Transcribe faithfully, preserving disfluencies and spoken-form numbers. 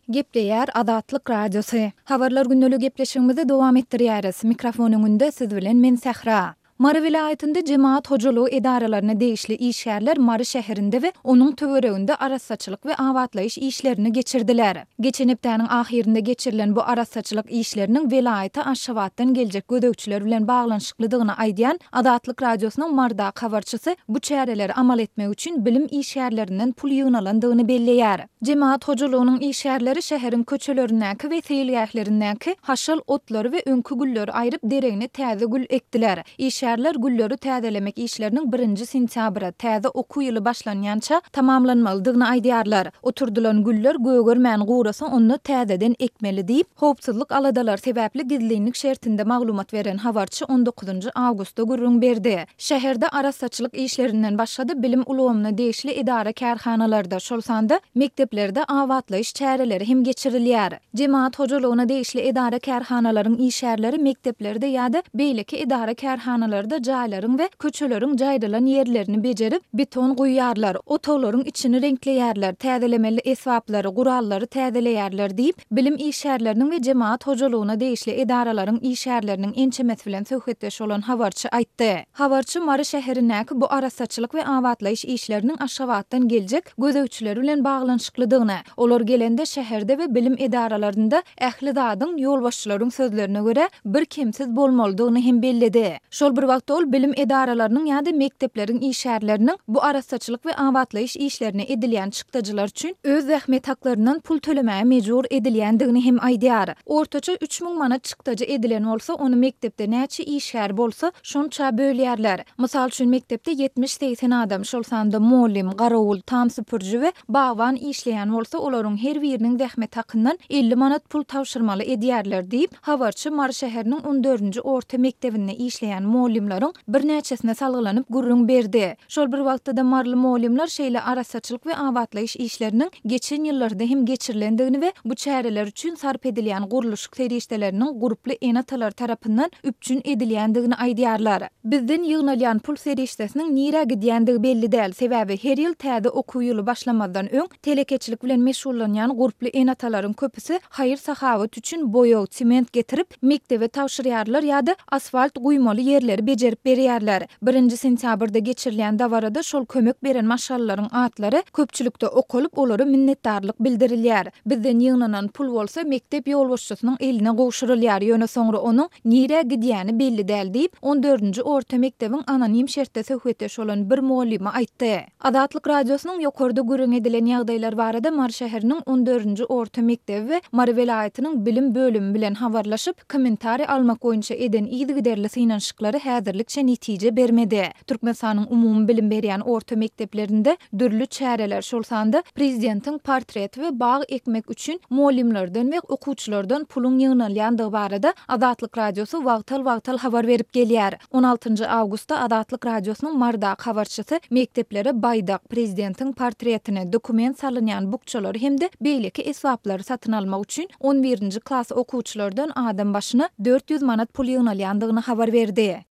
Gepleýär Azatlyk Radiosy. Habarlar gündeligi gepleşigimizi dowam etdirýäris. Mikrofon öňünde siz bilen men Sähra. Mary welaýatynda jemagat hojalygy edaralaryna degişli işgärler Mary şäherinde we onuň töwereginde arassaçylyk we abatlaýyş işlerini geçirdiler. Geçen hepdäniň ahyrynda geçirilen bu arassaçylyk işleriniň welaýata Aşgabatdan geljek gözegçiler bilen baglanyşyklydygyny aýdýan Azatlyk Radiosynyň Marydaky habarçysy bu çäreleri amal etmek üçin bilim işgärlerinden pul ýygnalandygyny belleýär. Jemagat hojalygynyň işgärleri şäheriň köçelerindäki we seýilgählerindäki haşal otlary we öňki gülleri aýryp, deregine täze gül ekdiler. Işgärler gülleri täzelemek işleriniň birinji sentýabra, täze okuw ýyly başlanýança tamamlanmalydygyny aýdýarlar. Oturdylan güller gögermän gurasa, onda täzeden ekmeli diýip, howpsuzlyk aladalary sebäpli gizlinlik şertinde maglumat beren habarçy on dokuzynjy awgustda gürrüň berdi. Şäherde arassaçylyk işlerinden başga-da bilim ulgamyna degişli edara-kärhanalarda, şol sanda mekdeplerde abatlaýyş çäreleri hem geçirilýär. Jemagat hojalygyna degişli edara-kärhanalaryň işgärleri mekdeplerde ýa-da beýleki edara-kärhanalarda jaýlaryň we köçeleriň jaýrylan ýerlerini bejerip, beton guýýarlar, otaglaryň içini reňkleýärler, täzelemeli esbaplary, gurallary täzeleýärler diýip, bilim işgärleriniň we jemagat hojalygyna degişli edaralaryň işgärleriniň ençemesi bilen söhbetdeş bolan habarçy aýtdy. Habarçy Mary şäherindäki bu arassaçylyk we abatlaýyş işleriniň Aşgabatdan geljek gözegçiler bilen baglanyşyklydygyny, olar gelende şäherde we bilim edaralarynda ähli zadyň, ýolbaşçylaryň sözlerine görä, birkemsiz bolmalydygyny hem belledi. Şol bir wagtda ol bilim edaralarynyň ýa-da mekdepleriň işgärleriniň bu arassaçylyk we abatlaýyş işlerine edilýän çykdajylar üçin öz zähmet haklaryndan pul tölemäge mejbur edilýändigini hem aýdýar. Ortaça üç müň manat çykdajy edilen bolsa, ony mekdepde näçe işgär bolsa, şonça bölýärler. Mysal üçin, mekdepde ýetmiş-segsen adam, şol sanda mugallym, garawul, tam süpüriji we bagban işleýän bolsa, olaryň her biriniň zähmet hakyndan elli manat pul tabşyrmaly edýärler diýip, habarçy Mary şäheriniň on dördünji orta mekdebinde işleýän mugallymlaryň birnäçesine salgylanyp gürrüň berdi. Şol bir wagtda-da maryly mugallymlar şeýle arassaçylyk we abatlaýyş işleriniň geçen ýyllarda hem geçirilendigini we bu çäreler üçin sarp edilýän gurluşyk serişdeleriniň gurply ene-atalar tarapyndan üpjün edilýändigini aýdýarlar. Bizden ýygnalýan pul serişdesiniň nirä gidýändigi belli däl, sebäbi her ýyl täze okuw ýyly başlamazdan öň telekeçilik bilen meşgullanýan gurply ene-atalaryň köpüsi haýyr-sahawat üçin boýag, sement getirip, mekdebe tabşyrýarlar ýa-da asfalt guýmaly ýerleri bejerip berýärler. Birinji sentýabrda geçirilýän dabarada şol kömek beren maşgalalaryň atlary köpçülikde okalyp, olara minnetdarlyk bildirilýär. Bizden ýygnanan pul bolsa mekdep ýolbaşçysynyň eline gowşurylýar, ýöne soňra onuň nirä gidýäni belli däl diýip, on dördünji orta mekdebiň anonim şertde söhbetdeş bolan bir mugallymy aýtdy. Azatlyk Radiosynyň ýokarda gürrüň edilen ýagdaýlar barada Mary şäheriniň on dördünji orta mekdebi we Mary welaýatynyň bilim bölümi bilen habarlaşyp, kommentariý almak boýunça eden yzygiderli synanyşyklary häzirlikçe netije bermedi. Türkmenistanyň umumy bilim berýän orta mekdeplerinde dürli çäreler, şol sanda prezidentiň portreti we bag ekmek üçin mugallymlardan we okuwçylardan puluň ýygnalýandygy barada Azatlyk Radiosy wagtal-wagtal habar berip gelýär. On altynjy awgustda Azatlyk Radiosynyň Marydaky habarçysy mekdeplere baýdak, prezidentiň portretini, dokument salynýan bukjalary hem-de beýleki esbaplary satyn almak üçin on birinji klas okuwçylardan adam başyna dört ýüz manat pul ýygnalýandygyny habar berdi.